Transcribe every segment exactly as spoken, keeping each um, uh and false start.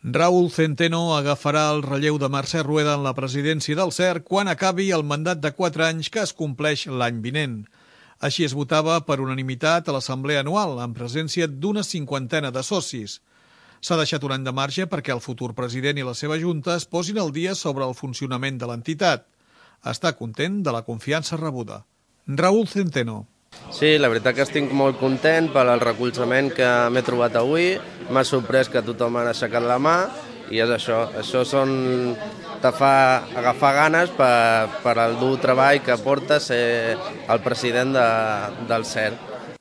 Raúl Centeno agafarà el relleu de Mercè Rueda en la presidència del C E R quan acabi el mandat de quatre anys que es compleix l'any vinent. Així es votava per unanimitat a l'assemblea anual, en presència d'una cinquantena de socis. S'ha deixat un any de marge perquè el futur president i la seva junta es posin al dia sobre el funcionament de l'entitat. Està content de la confiança rebuda. Raúl Centeno. Sí, la veritat que estic molt content per al recolzament que m'he trobat avui. M'ha sorprès que tothom ha aixecat la mà i és això. Això són, te fa agafar ganes per, per al dur treball que porta ser el president de, del C E R.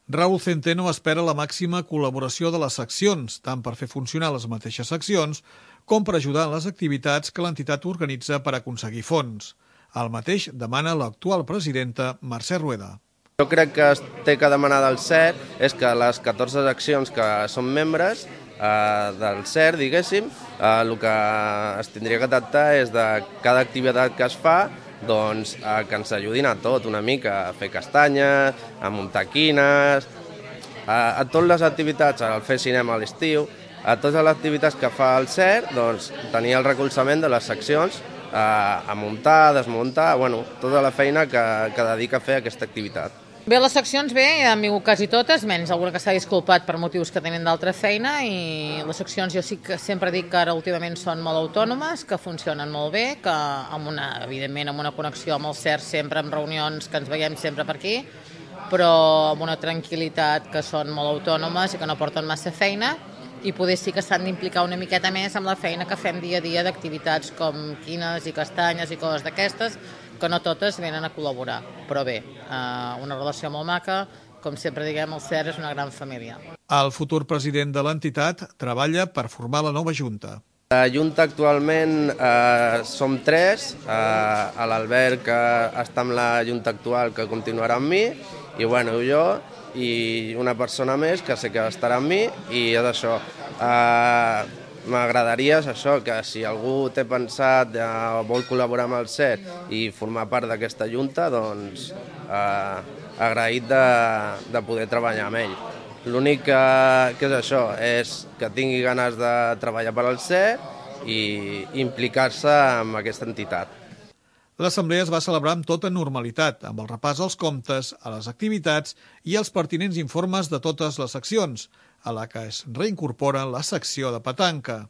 Raúl Centeno espera la màxima col·laboració de les seccions, tant per fer funcionar les mateixes seccions com per ajudar en les activitats que l'entitat organitza per aconseguir fons. El mateix demana l'actual presidenta Mercè Rueda. Jo crec que es té que demanar del C E R és que les catorze seccions que són membres eh, del C E R, diguéssim, eh, el que es tindria que tractar és de cada activitat que es fa, doncs eh, que ens ajudin a tot una mica, a fer castanyes, a muntar quines, a, a totes les activitats, a fer cinema a l'estiu, a totes les activitats que fa el C E R, doncs tenir el recolzament de les seccions eh, a muntar, a desmuntar, bueno, tota la feina que, que dedica a fer aquesta activitat. Bé, les seccions bé, han vingut quasi totes, menys alguna que s'ha disculpat per motius que tenen d'altra feina, i les seccions jo sí que sempre dic que ara últimament són molt autònomes, que funcionen molt bé, que amb una, evidentment amb una connexió amb el C E R sempre, amb reunions que ens veiem sempre per aquí, però amb una tranquil·litat, que són molt autònomes i que no porten massa feina, i poder sí que s'han d'implicar una miqueta més amb la feina que fem dia a dia d'activitats com quines i castanyes i coses d'aquestes, que no totes venen a col·laborar. Però bé, una relació molt maca, com sempre diguem, el C E R és una gran família. El futur president de l'entitat treballa per formar la nova junta. La junta actualment eh, som tres, eh, l'Albert que està amb la junta actual que continuarà amb mi, i bueno, jo, i una persona més que sé que estarà amb mi, i és això. Eh, M'agradaria això, que si algú té pensat o eh, vol col·laborar amb el C E R i formar part d'aquesta junta, doncs eh, agraït de, de poder treballar amb ell. L'únic que, que és això, és que tingui ganes de treballar per al C E R i implicar-se en aquesta entitat. L'assemblea es va celebrar amb tota normalitat, amb el repàs als comptes, a les activitats i els pertinents informes de totes les seccions, a la que es reincorpora la secció de petanca.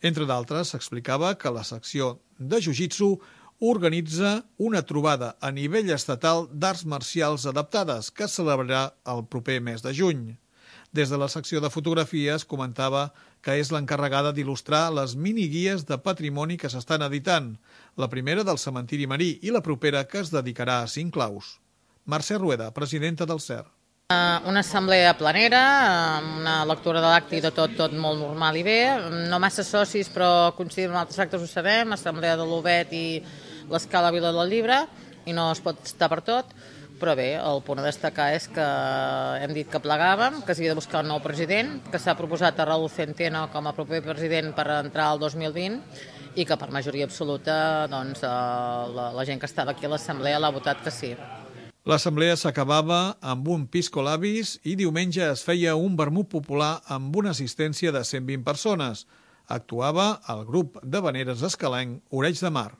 Entre d'altres, s'explicava que la secció de jiu-jitsu organitza una trobada a nivell estatal d'arts marcials adaptades que es celebrarà el proper mes de juny. Des de la secció de fotografies comentava que és l'encarregada d'il·lustrar les miniguies de patrimoni que s'estan editant, la primera del cementiri marí i la propera que es dedicarà a Cinclaus. Mercè Rueda, presidenta del C E R. Una assemblea planera, una lectura de l'acte i de tot, tot molt normal i bé. No massa socis, però coincidim amb altres actes, ho sabem, assemblea de l'Obet i l'Escala Vila del Llibre, i no es pot estar per tot. Però bé, el punt a destacar és que hem dit que plegàvem, que s'havia de buscar un nou president, que s'ha proposat a Raúl Centeno com a proper president per entrar al dos mil vint i que per majoria absoluta doncs, la, la gent que estava aquí a l'assemblea l'ha votat que sí. L'assemblea s'acabava amb un pisco labis i diumenge es feia un vermut popular amb una assistència de cent vint persones. Actuava el grup de veneres escalenc Oreig de Mar.